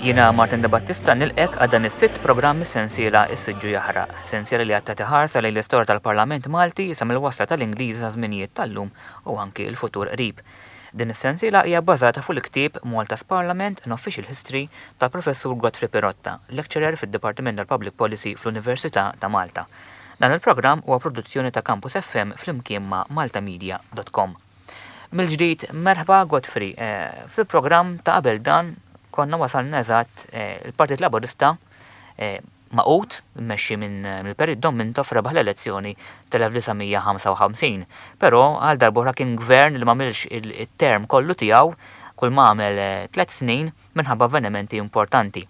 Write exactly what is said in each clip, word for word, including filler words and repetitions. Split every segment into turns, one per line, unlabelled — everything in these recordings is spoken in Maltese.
Jiena Martin De Battista nilqgħek għal dan is-sitt programm sensiela Is-Siġġu Jaħraq, sensiela li għadha tħares lejn l-istorja tal-Parlament Malti sa mill-wasla tal-Ingliżi sa żminijiet tal-lum u anki l-futur qrib. Din is-sensiela hija bbażata fuq il-ktieb Malta's Parliament an Official History tal-Professur Godfrey Pirotta, lecturer fid-Dipartiment tal-Public Policy fl-Università ta' Malta. Dan il-programm huwa produzzjoni ta' Campus F M flimkien ma' maltamedia punt com. Mill-ġdid, merħba, Godfrey. Eh, fil-programm ta' qabel dan konna wasalna eżatt eh, il-Partit Laburista eh, magħqud, mmexxi minn mill-Perit Dom Mintoff, rebaħ l-elezzjoni tal-elf disa' mija ħamsa u ħamsin. Però għal darb'oħra kien gvern li m'għamilx il-term kollu tiegħu, kull ma għamel tliet snin minħabba avvenimenti importanti.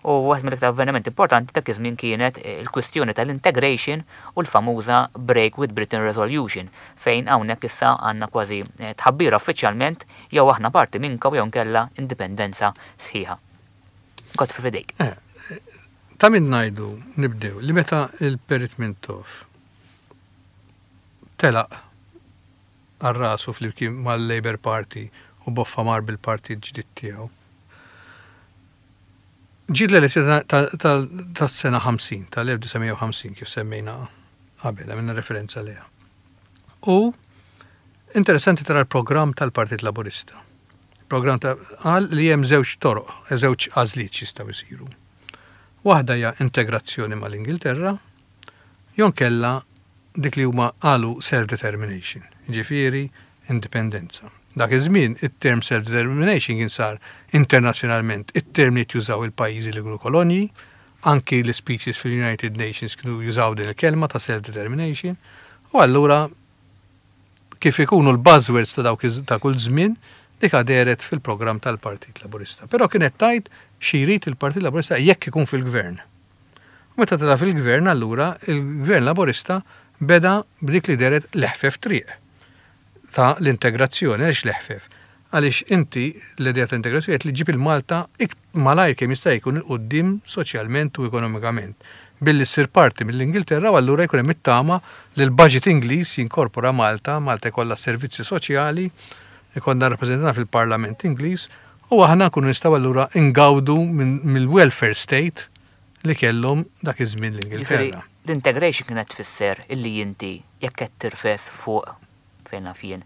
U waħed mill-iktar avvenimenti importanti ta' iż-żmien kienet il-kwistjoni tal-integration u l-famuża Break with Britain Resolution, fejn hawnhekk issa għandna kważi tħabbira uffiċjalment: jew aħna parti minnkom jew nkella indipendenza sħiħa. Godfrey, f'idejk.
Eh, ta' min ngħidu, nibdew li meta il-Perit Mintoff telaq għal rasu flimkien mal-Labour Party u boffa mar bil-partit ġdid tiegħu. Ġiet l-elezzjoni tas-sena ħamsin, tal-elf disa' mija ħamsin, kif semmejna qabel, għamilna referenza liha. U interessanti tara l-programm tal-Partit Laburista. Programm ta' qal li hemm żewġ toroq, żewġ għażliet jistgħu jsiru. Waħda hija integrazzjoni mal-Ingilterra, jew inkella dik li huma qalu self-determination, ġifieri indipendenza. Dak iż-żmien it-term self-determination kien sar internazzjonalment it-term li jużaw il-pajjiżi li kienu kolonji, anki l-speeches fil-United Nations kienu jużaw din il-kelma ta' self-determination, u allura kif ikunu l-buzzwords ta' dawk ta' kull żmien, dik dehret fil-programm tal-Partit Laburista. Però kienet tgħid xi jrid il-Partit Laburista jekk ikun fil-gvern. U meta tela fil-gvern, allura il-Gvern Laburista beda b'dik li dehret l-eħfef triq ta' l-integrazzjoni. Għaliex l-eħfef? Għaliex inti l-idea ta' integrazzjoni li ġib il-Malta malajr kemm jista' jkun 'il quddiem soċjalment u ekonomikament billi ssir parti mill-Ingilterra, u allura jkun hemm it-tama li l-budget Ingliż jinkorpora Malta, Malta jkollha servizzi soċjali, ikollna rappreżentanti fil-Parlament Ingliż u aħna nkunu nistgħu allura ingawdu mill-welfare state li kellhom dak iż-żmien l-Ingilterra.
L-integration kienet tfisser illi inti jekk qed tirfes fuq, fejn naf jien,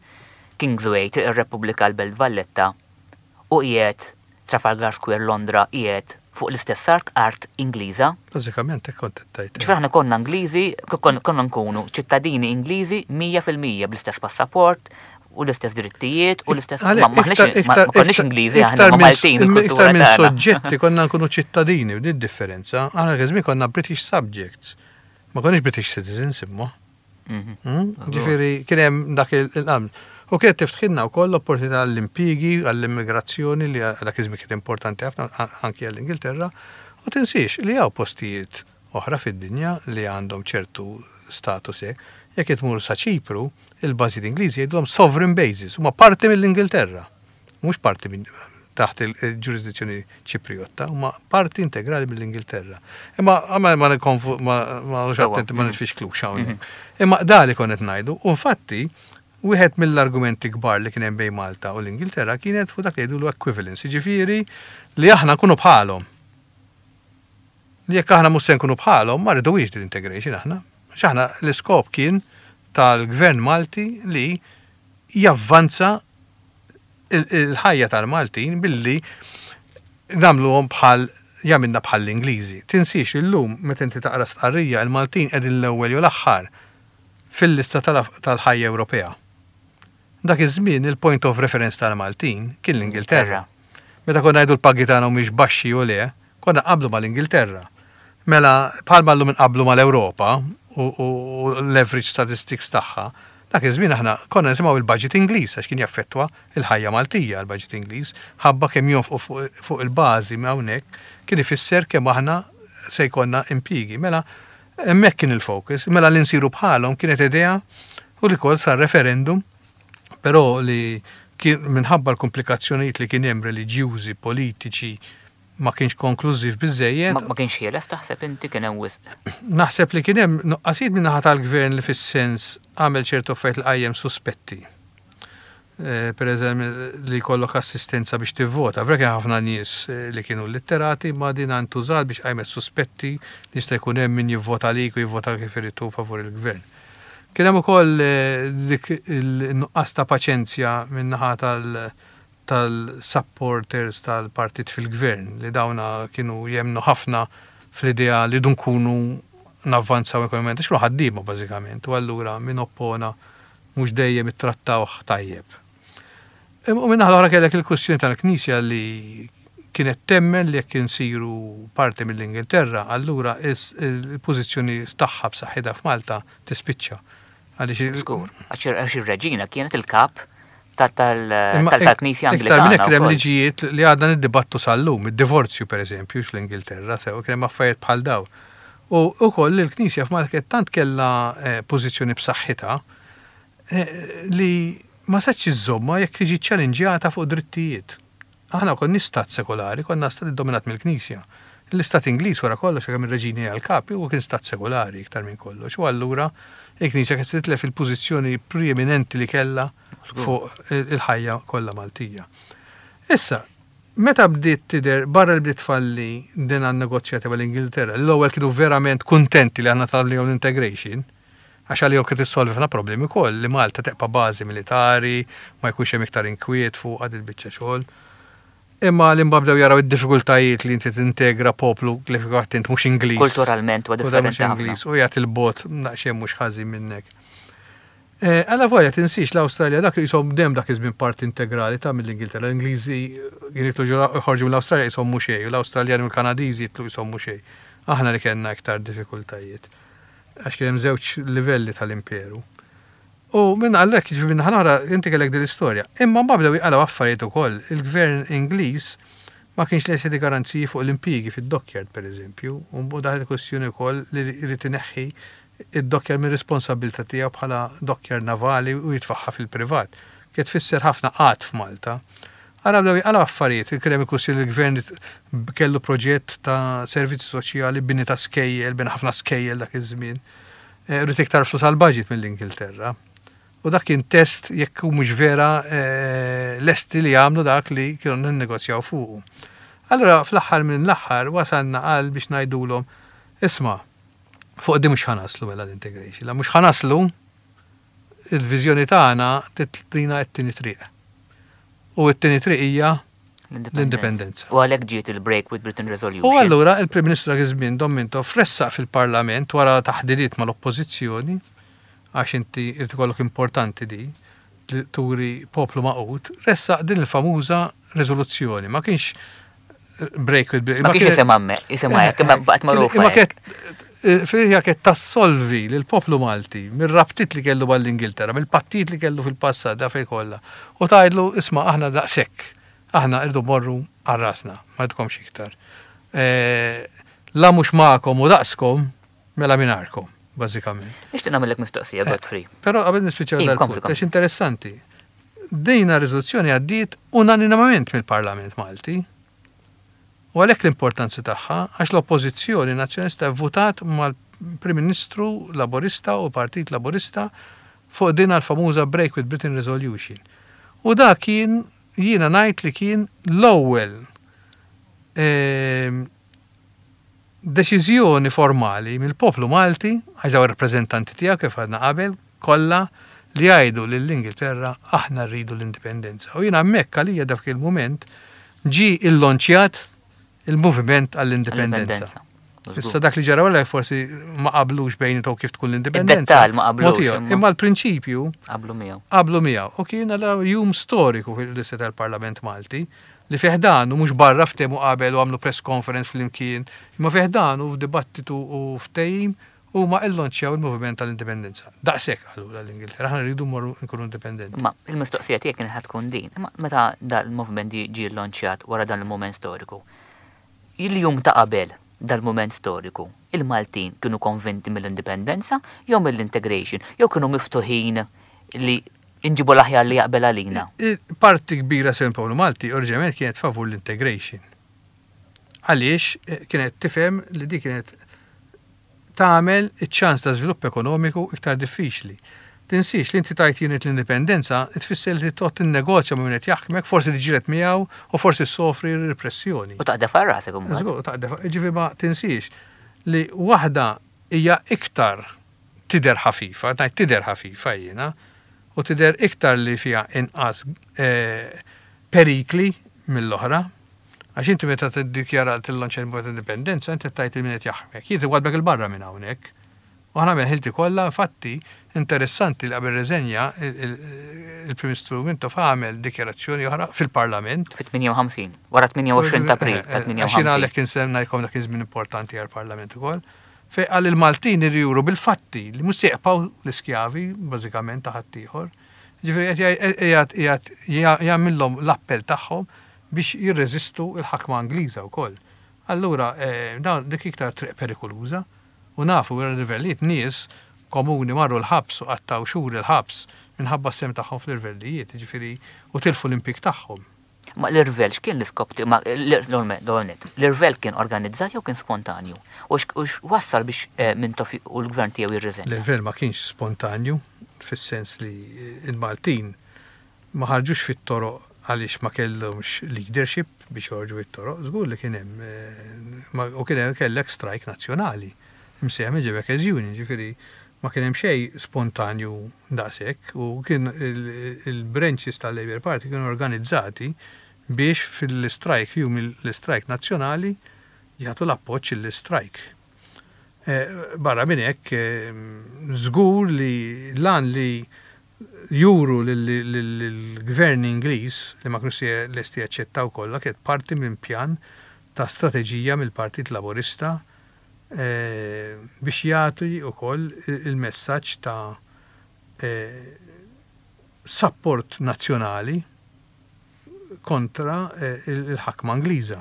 Kingsway, Triq ir-Repubblika, l-Belt Valletta, u qiegħed Trafalgar Square, Londra, qiegħed fuq l-istess art, art Ingliża.
Bażikament hekk kont qed tgħid.
Ġifieri aħna konna Ingliżi, konna nkunu ċittadini Ingliżi mija fil-mija bl-istess passaport u l-istess drittijiet u l-istess ma ma konniex Ingliżi aħna, ma Maltin
il-kultura. Iktar minn soġġetti, konna nkunu ċittadini, u din differenza. Aħna kien konna British subjects. Ma konniex British citizens imma. Mhm. Hmm? Ġifieri kien hemm dak il-qam. U kienet tiftħilna wkoll l-opportunità għall-impjiegi, għall-immigrazzjoni li dak iż-żmien kienet importanti ħafna anki għall-Ingilterra. U tinsiex li hawn postijiet oħra fid-dinja li għandhom ċertu status hekk. Jekk tmur sa Ċipru, il-bażi Ingliżi jgħidulhom sovereign bases, huma parti mill-Ingilterra. Mhux parti minn taħt il-ġurisdizzjoni Ċipriotta, huma parti integrali mill-Ingilterra. Imma ma ma ma ma attenti ma nitfixklux hawnhekk. Mhm. Imma dali konet ngħidu, u infatti wieħed mill-argumenti kbar li kien hemm bejn Malta u l-Ingilterra kienet fuq dak li jgħidulu equivalence, jiġifieri li aħna nkunu bħalhom. Li jekk aħna mhux se nkunu bħalhom, ma rridux din integration aħna. Għax aħna l-iskop kien tal-Gvern Malti li javvanza il-ħajja tal-Maltin billi nagħmluhom bħal jagħmilna bħal l-Ingliżi. Tinsiex illum meta inti taqra stqarrija, il-Maltin qegħdin l-ewwel jew l-aħħar fil-lista tal-ħajja Ewropea. Dak iż-żmien il-point of reference tal-Maltin kien l-Ingilterra. Meta konna ngħidu l-pagi tagħna mhumiex baxxi u le, konna qablu mal-Ingilterra. Mela bħalma llum inqablu mal-Ewropa u l-average statistics tagħha, dak iż-żmien aħna konna nisimgħu il-budget Ingliż għax kien jaffettwa il-ħajja Maltija l-budget Ingliż, ħabba kemm jonfqu fuq il-bażi hawnhekk kien ifisser kemm aħna se jkollna impjiegi. Mela hemmhekk kien il-focus, mela li nsiru bħalhom kienet idea u li kol sar referendum, però li kien minħabba l-komplikazzjonijiet li kien hemm reliġjużi, politiċi, ma kienx konklużiv biżejjed.
Ma kienx ħieles, taħseb inti kien hemm wisq?
Naħseb li kien hemm nuqqasijiet min-naħa tal-gvern li fis-sens għamel ċertu affarijiet li qajjem suspetti. Eh, per eżempju, li jkollok assistenza biex tivvota. Vera kien ħafna nies eh, li kienu litterati, ma din intużat biex qajmet suspetti li jista' jkun hemm min jivvota lik u jivvota kif irid favur il-gvern. Kien hemm ukoll eh, dik il-nuqqas ta' paċenzja min-naħa tal- tal-supporters tal-partit fil-gvern li dawna kienu jemnu ħafna fl-idea li dun kunu navvanzaw ekonomikament, għax kienu ħaddiema bażikament, u allura min oppona mhux dejjem ittrattawh tajjeb. U minn naħa l-oħra kellek il-kwestjoni tal-Knisja li kienet temmen li jekk insiru parti mill-Ingilterra, allura il-pożizzjoni tagħha b'saħħitha f'Malta tispiċċa. Għaliex
Żgur. Għax għax ir-reġina kienet il-kap
Imma
tal-Knisja
Iktar minn hekk
Anglikana.
hemm
wkoll.
liġijiet li għadna niddibattu sal-lum, id-divorzju per eżempju fl-Ingilterra, sew kien hemm affarijiet bħal daw. U wkoll il-Knisja f'Malta kienet tant kellha eh, pożizzjoni b'saħħitha eh, li ma setgħetx iżżommha jekk tiġi ċċallenġjata fuq drittijiet. Aħna konna stat sekolari, konna stat dominat mill-Knisja. L-istat Ingliż wara kollox kemm ir-reġini għal kapi u kien stat sekolari iktar minn kollox. U allura il-Knisja kienet titlef il-pożizzjoni preeminenti li kellha fuq il-ħajja kollha Maltija. Issa, meta bdiet tidher barra li bdiet falli din għan-negozjati mal-Ingilterra, l-ewwel kienu verament kuntenti li għandna tal l-integration, għax għalihom kien issolvi ħafna problemi wkoll li Malta tibqa' bażi militari, ma jkunx hemm iktar inkwiet fuq għad il-biċċa xogħol. Imma li mbagħad bdew jaraw id-diffikultajiet li inti tintegra poplu li fil-fatt int mhux Ingliż.
Kulturalment u
U da mhux
differenti ħafna.
Ingliż u jagħti il-bot naqxejn mhux ħażin minnek. Eh, Alla volja tinsix l-Awstralja dak jisom dem dak iż-żmien parti integrali ta' mill-Ingilterra. L-Ingliżi kien jitlu ġura joħorġu mill-Awstralja jisom mhux xejn, u l-Awstraljani u l-Kanadiżi jitlu jisom mhux xejn. Aħna li kellna iktar diffikultajiet. Għax kien hemm żewġ livelli tal-imperu. U minn għallek, ġifieri minn ħanara, inti kellek din l-istorja. Imma mbagħad bdew jqalgħu affarijiet ukoll. Il-gvern Ingliż ma kienx lest jagħti garanziji fuq l-impjiegi fid-dockyard pereżempju, u mbagħad daħlet kwestjoni wkoll li jrid ineħħi id-dockyard minn responsabilità tiegħu bħala dockyard navali u jitfaħħa fil-privat. Kien tfisser ħafna qgħad f'Malta. Ara bdew jqalgħu affarijiet, kien hemm il-kwestjoni li l-gvern kellu proġett ta' servizzi soċjali, bini ta' skejjel, bini ħafna skejjel dak iż-żmien. Eh, Rrid iktar flus għal budget mill-Ingilterra. U dak kien test jekk hu mhux vera eh, lesti li jagħmlu dak li kienu ninnegozjaw fuqu. Allura fl-aħħar minn l-aħħar wasalna għal biex ngħidulhom isma' fuq di mhux ħa naslu mela l-integration. La mhux ħa naslu il-viżjoni tagħna titlina t-tieni triq. U t-tieni triq hija l-indipendenza.
U għalhekk ġiet il-Break with Britain Resolution.
U allura il-Prim Ministru dak iż-żmien Dom Mintoff ressaq fil-Parlament wara taħdidiet mal-Oppożizzjoni għax inti irid ikollok importanti di li turi poplu magħqud, ressaq din il-famuża riżoluzzjoni. Ma kienx break with Britain.
Ma kienx
kienet-
isem amme, isem hekk, imma baqgħet magħrufa.
Imma
hekk.
kienet fil kienet tassolvi lil poplu Malti mir-rabtiet li kellu mal-Ingilterra, mill-pattijiet li kellu fil-passat da fej kollha. U tgħidlu isma' aħna daqshekk, aħna irdu morru għal rasna, ma rridkomx iktar. Eh, La mhux magħkom u daqskom, mela mingħajrkom, bażikament.
Nixtieq nagħmellek mistoqsija, Godfrey.
Però qabel nispiċċaw
Ij,
dal-punt,
kompli, kompli.
għax interessanti. Dejna riżoluzzjoni għaddiet unanimament mill-Parlament Malti. U għalhekk l-importanza tagħha għax l-Oppożizzjoni Nazzjonalista votat mal-Prim Ministru Laborista u Partit Laborista fuq din l-famuża Break with Britain Resolution. U da kien jiena ngħid li kien l-ewwel ehm, deċiżjoni formali mill-poplu Malti, għax daw ir-rappreżentanti tiegħu kif għadna qabel, kollha li jgħidu lill-Ingilterra aħna rridu l-indipendenza. U jiena hemmhekk għalija dak il-mument ġi illonċjat il-moviment għall-indipendenza.
L-indipendenza.
Issa dak li ġara wara forsi ma qablux bejniethom kif tkun l-indipendenza.
Id-dettal ma qablux,
Mod ieħor.
imma-
Imma l-prinċipju
Qablu miegħu.
qablu miegħu. U kien allura jum storiku fil-lista tal-Parlament Malti li fih dan u mhux barra ftehmu qabel u għamlu press conference flimkien, imma fih dan u f'dibattitu u ftehim huma illonċjaw il-moviment tal-indipendenza. Daqshekk qalu l-Ingilterra, aħna rridu mmorru nkunu indipendenti.
Ma il-mistoqsija tiegħek kienet ħa tkun din. Imma meta dal-movement ġie llonċjat wara dan il-moment storiku. Il-jum ta' qabel dal-moment storiku, il-Maltin kienu konvinti mill-indipendenza jew mill-integration, jew kienu miftuħin li inġibu l-aħjar li jaqbel għalina.
Parti kbira sew poplu Malti oriġinarjament kienet favur l-integration. Għaliex eh, kienet tifhem li di kienet tagħmel iċ-ċans ta' żvilupp ekonomiku iktar diffiċli. Tinsiex li inti tajt jien l-indipendenza, tfisser li toqgħod tinnegozja ma' min qed jaħkmek, forsi tiġġieled miegħu u forsi ssofri repressjoni.
U taqdef għal rasek imbagħad.
Żgur, taqdef, ġifieri ma tinsiex li waħda hija iktar tidher ħafifa, ngħid tidher ħafifa jiena, u tidher iktar li fiha inqas eh, perikli mill-oħra. Għax inti meta tiddikjara tillanċa l indipendenza, inti tajt il min qed jaħkmek. Jien għadbek il-barra minn hawnhekk. U aħna ħilti kollha, infatti, interessanti li qabel reżenja il-Prim Ministru Mintoff għamel dikjarazzjoni oħra fil-Parlament.
Fit-tmienja u ħamsin, wara tmienja u għoxrin ta' April ta'
eh, eh, Għax jiena għalhekk insemmejtilkom dak iż-żmien importanti għall-Parlament ukoll. Fej għal il-Maltin juru bil-fatti li mhux se jibqgħu l-iskjavi bażikament ta' ħaddieħor. Ġifieri qed jagħmilhom l-appell tagħhom biex jirreżistu l-ħakma Ingliża wkoll. Allura eh, dawn dik iktar triq perikoluża u nafu wara l-irvellijiet nies komuni marru l-ħabs u qattaw xhur il-ħabs minħabba s-sehem tagħhom fl-irvellijiet, ġifieri u tilfu l-impjieg tagħhom.
Ma l-irvell x'kien l-iskop ti- ma l-irvell kien organizzat jew kien spontanju? U x'wassal biex eh, Mintoff u l-gvern tiegħu jirriżenja?
L-irvell ma kienx spontanju, fis-sens li il-Maltin ma ħarġux fit-toroq għaliex ma kellhomx leadership biex joħorġu fit-toroq, żgur li kien hemm eh, u kien hemm kellek strike nazzjonali. Imsejjaħ minn Quebecers Union, ġifieri ma kien hemm xejn spontanju daqshekk u kien il-branches tal-Labour Party kienu organizzati biex fil-strike, jum l-strike nazzjonali, jagħtu l-appoġġ l-strike. Eh, barra minn hekk, eh, żgur li lan li juru l-gvern Ingliż li ma kienux lesti jaċċettaw kollha kienet parti minn pjan ta' strateġija mill-Partit Laburista eh, biex jagħti wkoll il-messaġġ ta' support nazzjonali kontra il-ħakma Ingliża.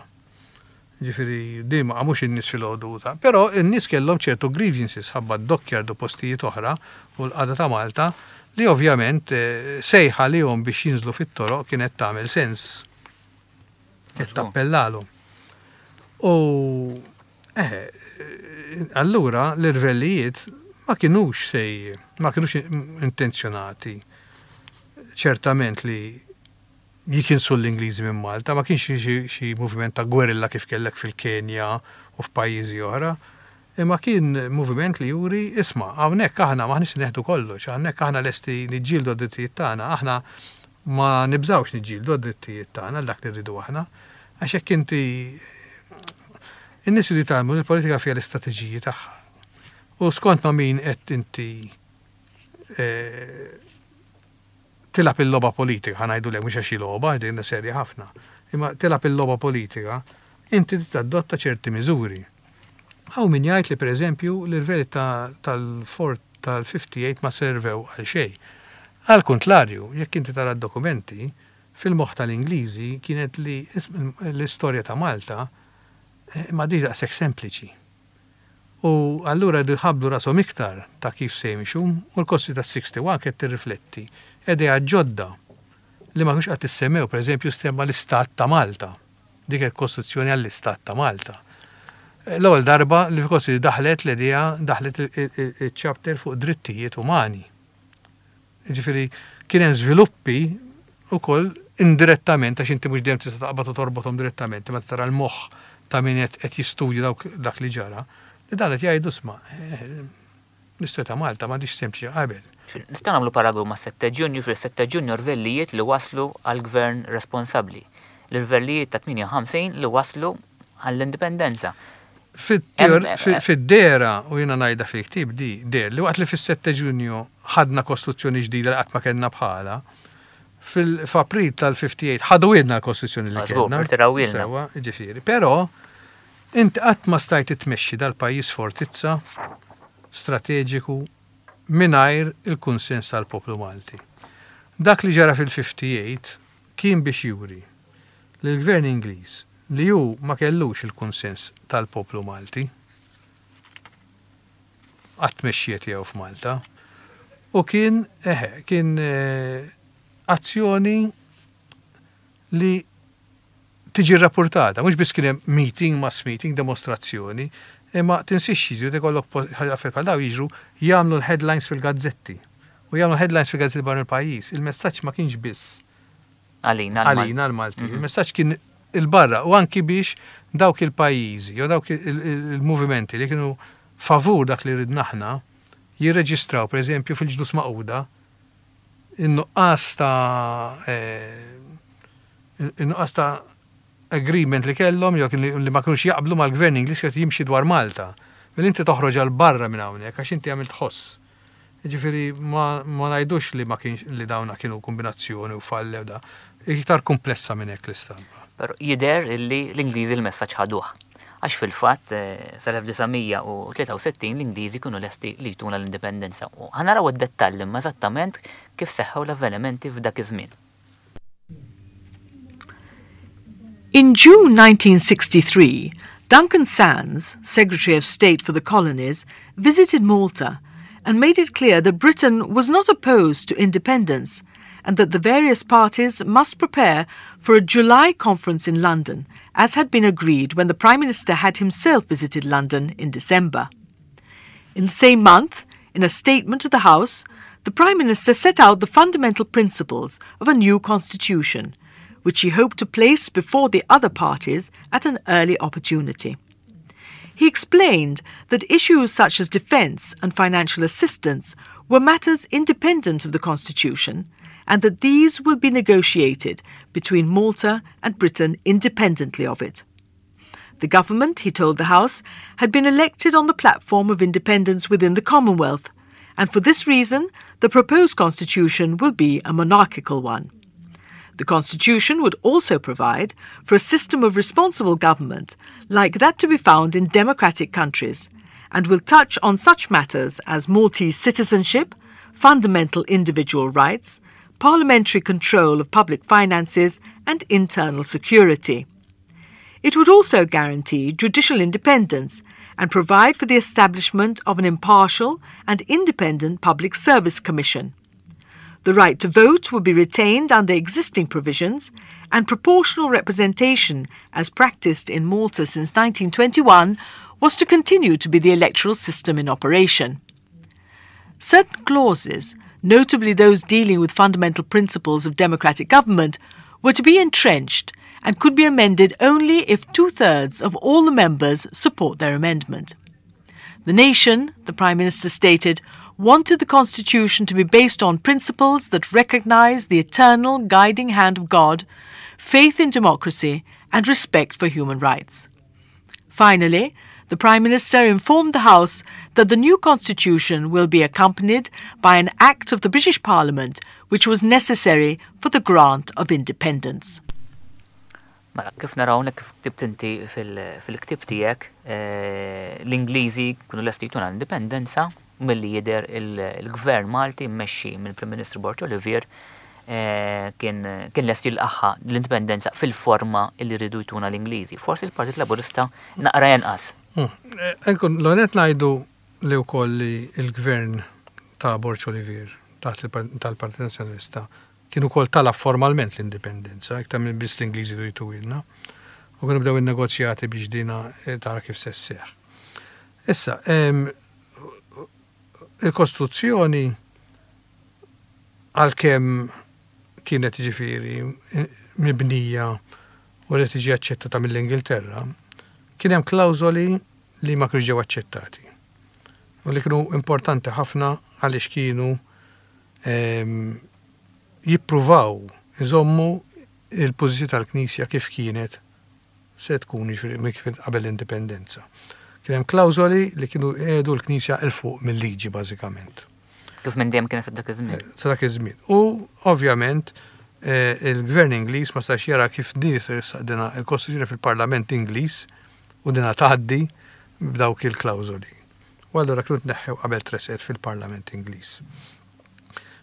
Ġifieri, di ma qamux in-nies fil-ħodu ta' però in-nies kellhom ċertu grievances ħabba d-dockyard u postijiet oħra u l-qagħda ta' Malta li ovvjament eh, sejħa li jom biex jinżlu fit-toroq kienet tagħmel sens. Kienet tappellalhom. U eh, allura l-irvellijiet ma kienux sej, ma kienux intenzjonati ċertament li jikinsu l-Ingliżi minn Malta, ma kienx xi moviment ta' gwerilla kif kellek fil-Kenja u f'pajjiżi oħra, imma kien moviment li juri, isma', hawnhekk aħna m'aħniex neħdu kollox, hawnhekk aħna lesti niġġieldu d-drittijiet tagħna, aħna ma nibżawx niġġieldu d-drittijiet tagħna dak li rridu aħna, għax hekk inti in-nies li tgħallmu l-politika fiha l-istrateġiji tagħha. U skont ma' min qed inti eh, tilgħab il-logħba politika, ħa ngħidu le mhux għax logħba, din serja ħafna. Imma tilgħab il-logħba politika, inti tadotta ċerti miżuri. Hawn min jgħid li pereżempju l-irvelli tal-Fort tal-ħamsa u ħamsin ma servew għal xejn. Għal kontrarju, jekk inti tara d-dokumenti, fil-moħħ tal-Ingliżi kienet li l-istorja ta' Malta eh, ma di daqshekk sempliċi. U allura ħabblu rashom iktar ta' kif se jimxu u l-kosti ta' wieħed u sittin kienet tirrifletti idea ġodda li ma kienx qatt issemmew, per eżempju, stemma l-Istat ta' Malta. Dik il-Kostituzzjoni għall-Istat ta' Malta. L-ewwel darba li fil daħlet l-idea, daħlet il-chapter fuq drittijiet umani. Ġifieri kien hemm żviluppi ukoll indirettament, għax inti mhux dejjem tista' taqbad u torbothom direttament, ma tara l-moħħ ta' min qed jistudja dak li ġara, li dan qed jgħidu sma' eh, l-istorja ta' Malta m'għadix sempliċi qabel.
Nistgħu nagħmlu paragun ma' sette Ġunju, fil-sette Ġunju rvellijiet li waslu għal gvern responsabbli. L-irvellijiet ta' tmienja u ħamsin li waslu għall-indipendenza.
Fid-dehra, u jiena ngħidha fil-ktieb di, der, li waqt li fis-sette Ġunju ħadna kostituzzjoni ġdida li qatt ma kellna bħala, fil-April tal-ħamsa u ħamsin ħadu ilna l-kostituzzjoni li kellna.
Sewa,
ġifieri. Però, inti qatt ma stajt tmexxi dal-pajjiż fortizza strateġiku mingħajr il-kunsens tal-poplu Malti. Dak li ġara fil-ħamsa u ħamsin kien biex juri li l-gvern Ingliż li hu ma kellux il-kunsens tal-poplu Malti għat-tmexxija tiegħu f'Malta u kien eħe, kien eh, azzjoni li tiġi rapportata, mhux biss kien hemm meeting, mass meeting, demonstrazzjoni, imma tinsiex jiġri ikollok ħaġa bħal daw jiġru jagħmlu l-headlines fil-gazzetti. U jagħmlu headlines fi gazzetti barra il-pajjiż. Il-messaġġ ma kienx biss
għalina
għalina l-Malti. Mhm. Il-messaġġ kien il-barra u anki biex dawk il-pajjiżi jew dawk il-movimenti li kienu favur dak li ridna aħna jirreġistraw, pereżempju, fil-Ġnus Magħquda in-nuqqas ta' eh, in-nuqqas ta' agreement li kellhom jew li ma kinux jaqblu mal-gvern Ingliż qed jimxi dwar Malta. Mela inti toħroġ għal barra minn hawnhekk għax inti għamilt ħoss. Ġifieri ma, ma ngħidux li ma kienx li dawna kienu kombinazzjoni u fallew da. Iktar komplessa minn hekk l-istampa.
Però jidher illi l-Ingliżi l-messaġġ ħaduh. Għax fil-fatt eh, sal-elf disa' mija u tlieta u sittin l-Ingliżi kienu lesti li jtuna l-indipendenza. U ħa naraw id-dettalli ma eżattament kif seħħew l-avvenimenti f'dak iż-żmien.
In June nineteen sixty-three, Duncan Sandys, Secretary of State for the Colonies, visited Malta and made it clear that Britain was not opposed to independence and that the various parties must prepare for a July conference in London, as had been agreed when the Prime Minister had himself visited London in December. In the same month, in a statement to the House, the Prime Minister set out the fundamental principles of a new constitution, which he hoped to place before the other parties at an early opportunity. He explained that issues such as defence and financial assistance were matters independent of the Constitution and that these will be negotiated between Malta and Britain independently of it. The government, he told the House, had been elected on the platform of independence within the Commonwealth, and for this reason the proposed constitution will be a monarchical one. The constitution would also provide for a system of responsible government like that to be found in democratic countries and will touch on such matters as Maltese citizenship, fundamental individual rights, parliamentary control of public finances, and internal security. It would also guarantee judicial independence and provide for the establishment of an impartial and independent public service commission. The right to vote would be retained under existing provisions, and proportional representation, as practiced in Malta since nineteen twenty-one, was to continue to be the electoral system in operation. Certain clauses, notably those dealing with fundamental principles of democratic government, were to be entrenched and could be amended only if two thirds of all the members support their amendment. The nation, the Prime Minister stated, wanted the Constitution to be based on principles that recognise the eternal guiding hand of God, faith in democracy, and respect for human rights. Finally, the Prime Minister informed the House that the new Constitution will be accompanied by an Act of the British Parliament which was necessary for the grant of independence.
Mela, kif naraw kif ktibt inti fil-ktib tiegħek, eh, l-Ingliżi kienu lesti jtuna l-indipendenza, milli jidher il-gvern Malti mmexxi mill-Prim Ministru Borg Olivier eh, kien kien lest jilqagħha l-indipendenza fil-forma li rridu jtuna l-Ingliżi. Forsi l-Partit Laburista naqra jenqas.
Hmm. Enkun, l-onet ngħidu li wkoll li il-gvern ta' Borg Olivier taħt tal-Partit Nazzjonalista kienu kol talab formalment l-indipendenza, iktar minn biss l-Ingliżi jtuhielna. U kienu bdew il-negozjati biex dina eh, tara kif se sseħħ. Issa, il-Kostituzzjoni, għalkemm kienet ġifieri mibnija u li tiġi aċċettata mill-Ingilterra, kien hemm klawżoli li ma kienux ġew aċċettati. U li kienu importanti ħafna għaliex kienu jippruvaw iżommu il-pożizzjoni tal-Knisja kif kienet se tkun, ġifieri kif qabel l-indipendenza. Kien hemm klawżoli li kienu qiegħdu l-Knisja 'il fuq mill-liġi bażikament.
Kif minn dejjem kien sa dak iż-żmien.
Sa dak iż-żmien. U ovvjament eh, il-gvern Ingliż ma stax jara kif din se dina il-Kostituzzjoni fil-Parlament Ingliż u dina tgħaddi b'dawk il-klawżoli. U allura kienu tneħħew qabel tresqet fil-Parlament Ingliż.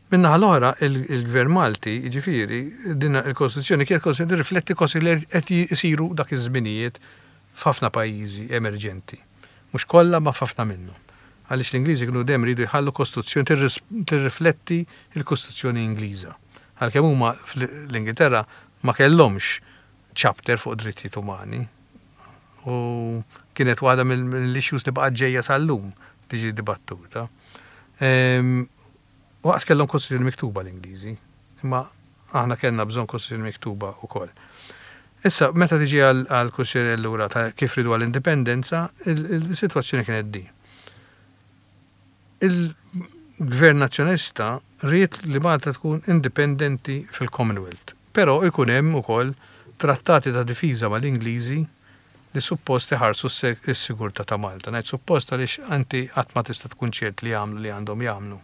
Min-naħa l-oħra, il-Gvern Malti, ġifieri, din il-Kostituzzjoni kienet kostituzzjoni rifletti kosti li qed jisiru dak iż-żminijiet f'ħafna pajjiżi emerġenti. Mhux kollha, ma f'ħafna minnhom. Għaliex l-Ingliżi kienu dejjem iridu jħallu kostituzzjoni tirrifletti il-Kostituzzjoni Ingliża. Għalkemm huma fl-Ingilterra ma kellhomx chapter fuq drittijiet umani. U kienet waħda mill-issues li baqgħet ġejja sal-lum tiġi dibattuta. Waqs kellhom kostituzzjoni miktuba l-Ingliżi, imma aħna kellna bżonn kostituzzjoni miktuba wkoll. Issa, meta tiġi għal kwistjoni allura ta' kif ridu għall-indipendenza, il-sitwazzjoni kienet di. Il-Gvern Nazzjonalista ried li Malta tkun indipendenti fil-Commonwealth, però ikun hemm ukoll trattati ta' difiża mal-Ingliżi li suppost iħarsu s-sigurtà ta' Malta. Ngħid suppost għaliex anti qatt ma tista' tkun ċert li jagħmlu li għandhom jagħmlu.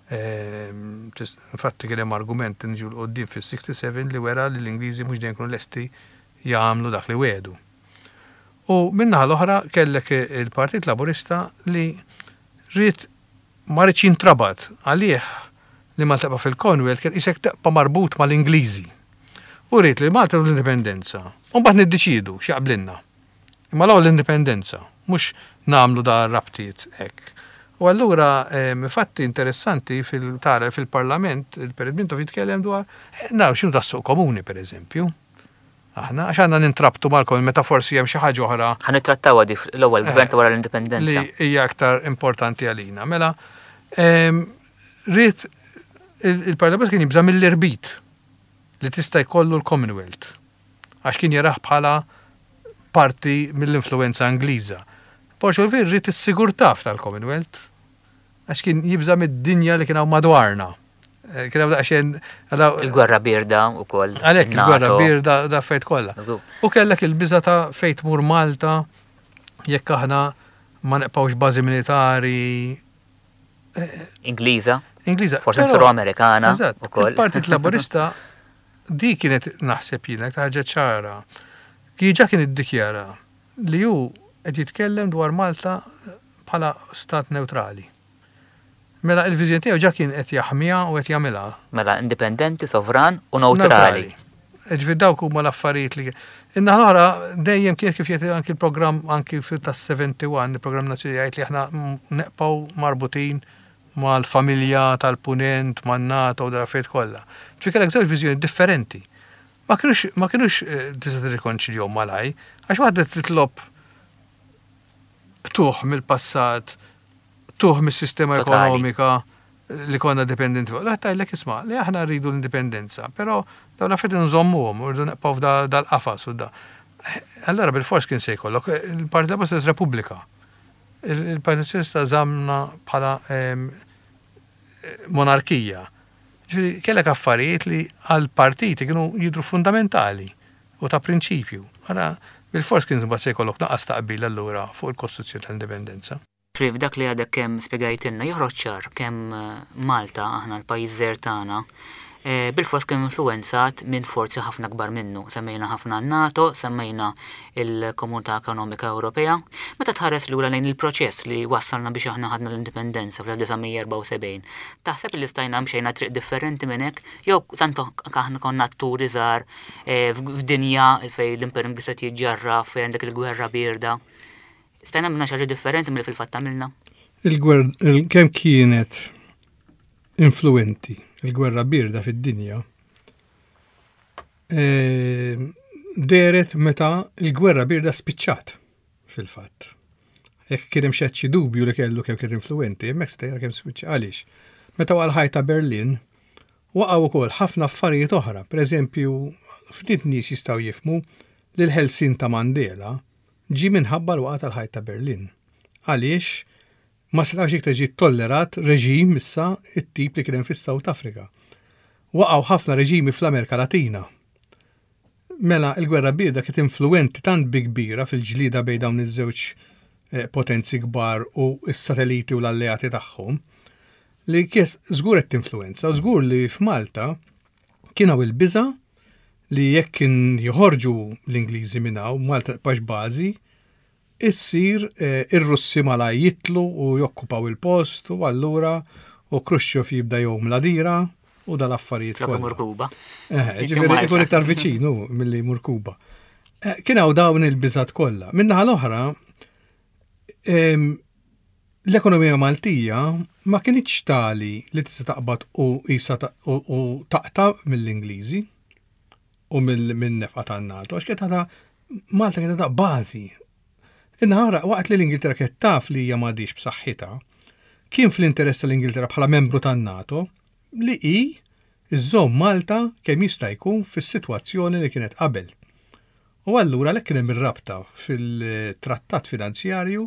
Ehm, infatti kien hemm argument nġu 'l quddiem fis-sixty-seven li wera li l-Ingliżi mhux dejjem kienu lesti jagħmlu dak li wedu. U min-naħa l-oħra kellek il-Partit Laburista li ried ma riedx jintrabat. Għalih li Malta tibqa' fil-Commonwealth kien isek tibqa' marbut mal-Ingliżi. U ried li Malta l-indipendenza. U mbagħad niddeċiedu x'jaqblinna. Imma l l-indipendenza, mhux nagħmlu da rabtiet hekk. U allura, fatti interessanti fil-tara fil-parlament, il-Perit Mintoff jitkellem dwar, eh, naraw x'inhu tas-suq komuni, per eżempju. Aħna, għax għandna nintrabtu mal-kom, meta forsi hemm xi ħaġa oħra.
Ħa nittrattaw di l-ewwel gvern ta' wara l-indipendenza.
Li hija aktar importanti għalina. Mela, ried il-Parlament kien jibża mill-irbit li tista' jkollu l-Commonwealth. Għax kien jarah bħala parti mill-influenza Ingliża. Borg Olivier ried is-sigurtà tal-Commonwealth għax kien jibża mid-dinja li kien hawn madwarna. Eh, kien hawn daqsxejn
Il-gwerra birda wkoll.
Għalhekk il-gwerra birda da fejt kollha. U kellek il-biża ta' fejt mur Malta jekk aħna ma neqpawx bażi militari
eh, Ingliża.
Ingliża.
Forsi nsiru Amerikana.
Il-Partit Laburista di kienet, naħseb jiena, ħaġa ċara. Ġa kien iddikjara li hu qed jitkellem dwar Malta bħala stat neutrali. Mela il-viżjoni tiegħu ġa kien qed jaħmiha u qed jagħmilha.
Mela indipendenti, sovran u neutrali.
Ġifieri dawk huma l-affarijiet li. In-naħa l-oħra dejjem kien kif jgħid anki l-programm anki tas-sebgħa u sebgħin, il-programm nazzjonali jgħid li aħna neqpaw marbutin mal-familja tal-punent, man-NATO u dal-affarijiet kollha. Ġifieri kellek żewġ viżjoni differenti. Ma kienux ma kienux eh, tista' tirrikonċiljhom malaj, għax waħda titlob tuħ mill-passat, tuħ mis-sistema ekonomika li konna dipendenti fuq. L tgħidlek, isma', li aħna rridu l-indipendenza, però dawn l-affarijiet nżommuhom u rridu neqgħu dal-qafas u da. Allora bil-fors kien se jkollok il-Partit Laburista Repubblika. Il-Partit Soċjalista żamna bħala monarkija. Ġifieri kellek affarijiet li għal-partiti kienu jidru fundamentali u ta' prinċipju. Ara, bil-fors kien mbagħad se jkollok naqas taqbil allura fuq il-Kostituzzjoni tal-Indipendenza.
Friv, dak li għadek kemm spjegajtilna joħroġ ċar kemm eh, Malta, aħna l-pajjiż żgħir tagħna, eh, bil-fors kemm influenzat minn forzi ħafna kbar minnu. Semmejna ħafna NATO, semmejna il-Komunità Ekonomika Ewropea. Meta tħares lura lejn il-proċess li wassalna biex aħna ħadna l-indipendenza fl-elf disa' mija erbgħa u sebgħin, taħseb li stajna mxejna triq differenti minn hekk, jew tant aħna konna atturi żgħar eh, f'dinja fejn l-Imper Ingliż qed jiġġarraf, fejn għandek il-gwerra birda? Stajna minna xi ħaġa differenti mill fil-fatt għamilna?
Il-gwerra, kemm kienet influenti il-gwerra birda fid-dinja, e, dehret meta il-gwerra birda spiċċat fil-fatt. Jekk kien hemm xi dubju li kellu kemm kienet influenti, hemmhekk stejra kemm spiċċa. Għaliex? Meta waqa' l-ħajt ta' Berlin, waqgħu wkoll ħafna affarijiet oħra. Per eżempju, ftit nies jistgħu jifhmu li l-ħelsien ta' Mandela ġi minħabba l-waqgħa tal-ħajt ta' Berlin. Għaliex ma setax iktar ġi tollerat reġim issa it-tip li kien hemm fis-South Africa. Waqgħu ħafna reġimi fl-Amerika Latina. Mela il-gwerra birda kienet influenti tant bi kbira fil-ġlida bejn dawn iż-żewġ eh, potenzi kbar u s-satelliti u l-alleati tagħhom li kies żgur qed tinfluenza, żgur li f'Malta kien hawn il-biża li jekk kien joħorġu l-Ingliżi minn hawn, Malta tibqax bażi, issir eh, ir-Russi mala jitlu u jokkupaw il-post u allura u Khrushchev jibda jom la dira u dal-affarijiet
Flok imur Kuba.
Eh, ġifieri ikun iktar viċinu milli jmur Kuba. Eh, kien hawn dawn il-biżat kollha. Min-naħa l-oħra, l-ekonomija Maltija ma kienx tali li tista' taqbad u isa u taqta' mill-Ingliżi u mill-nefqa tan-NATO, għax kienet għadha Malta kienet għadha bażi. Inħara, waqt li l-Ingilterra kienet taf li hija m'għadix b'saħħitha, Kien fl-interess tal-Ingilterra bħala membru tan-NATO li hi iżżomm Malta kemm jista' jkun fis-sitwazzjoni li kienet qabel. U allura lek kien hemm ir-rabta fil-trattat finanzjarju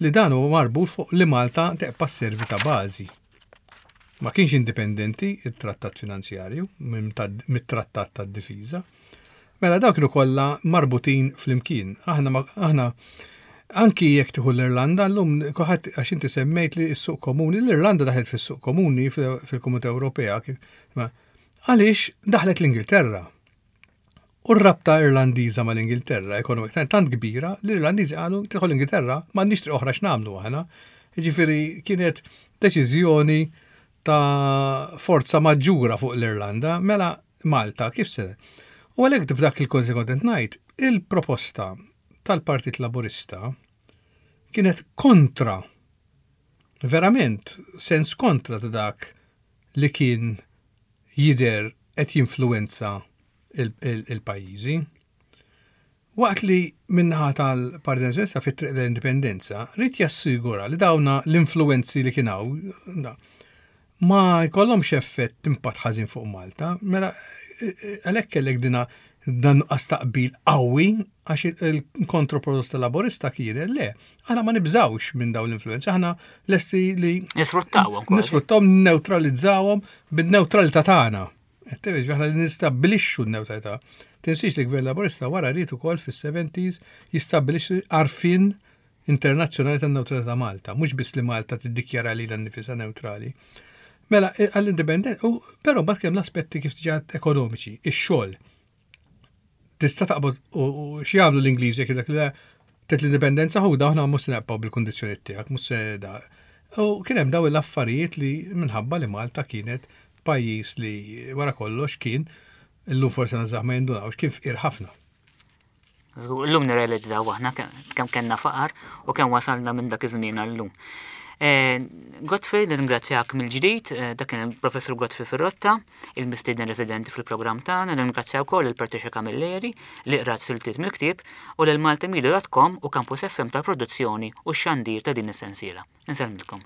li dan huwa marbut fuq li Malta tibqa' sservi ta' bażi. Ma kienx indipendenti il-trattat finanzjarju mit-trattat tad-difiża. Mela dawk kienu kollha marbutin flimkien. Aħna aħna anki jekk tieħu l-Irlanda llum kulħadd, għax inti semmejt li s-suq komuni, l-Irlanda daħlet fis-suq komuni fil-Komunità Ewropea. Għaliex daħlet l-Ingilterra. U r-rabta Irlandiża mal-Ingilterra ekonomika tant kbira li l-Irlandiżi qalu: "Tidħol l-Ingilterra, m'għandniex triq oħra x'nagħmlu aħna." Jiġifieri kienet deċiżjoni ta' forza maġġura fuq l-Irlanda, mela Malta kif se? U għalhekk f'dak il-konsekwentent ngħid, il-proposta tal-Partit Laburista kienet kontra, verament, sens kontra ta' dak li kien jidher qed jinfluwenza il-pajjiżi. Waqt li min-naħa tal-Partit Nazzjonalista fit-triq l-Indipendenza ried jassigura li dawna l-influenzi li kien hawn ma jkollhomx effett, impatt ħażin fuq Malta, mela għalhekk kellek dina dan nuqqas taqbil qawwi, għax il-kontroproposta Laburista kienet: le, aħna ma nibżawx minn dawn l-influenzi, aħna lesti li
nisfruttawhom.
Nisfruttawhom, neutralizzawhom bin-neutralità tagħna. Aħna li nistabbilixxu n-neutralità. Tinsiex li gvern Laburista wara ried ukoll fis-seventies jistabbilixxi għarfien internazzjonali tan-neutralità Malta, mhux biss li Malta tiddikjara lilha nnifisha neutrali. Mela, għall-independent, però mbagħad kemm l-aspetti kif diġà ekonomiċi, ix-xogħol. Tista' taqbad u x'jagħmlu l-Ingliżi jekk dak li tet l-indipendenza ħuda, aħna mhux se naqbgħu bil-kundizzjoni tiegħek, mhux se da. U kien hemm daw l-affarijiet li minħabba li Malta kienet pajjiż li wara kollox kien, illum forsi nażaħ ma jindunawx, kien fqir ħafna.
Illum nirrealizzaw aħna kemm kellna faqar u kemm wasalna minn dak iż-żmien għallum. Eh, Godfrey, nirringrazzjak mill-ġdid, eh, dak kien il-Professur Godfrey Ferrotta, il-mistieden residenti fil-programm tagħna, nirringrazzja wkoll il-Patricia Camilleri li qrat siltiet mill-ktieb u lil maltamedia punt com u Campus F M tal-produzzjoni u x-xandir ta' din is-sensiela. Insellmilkom.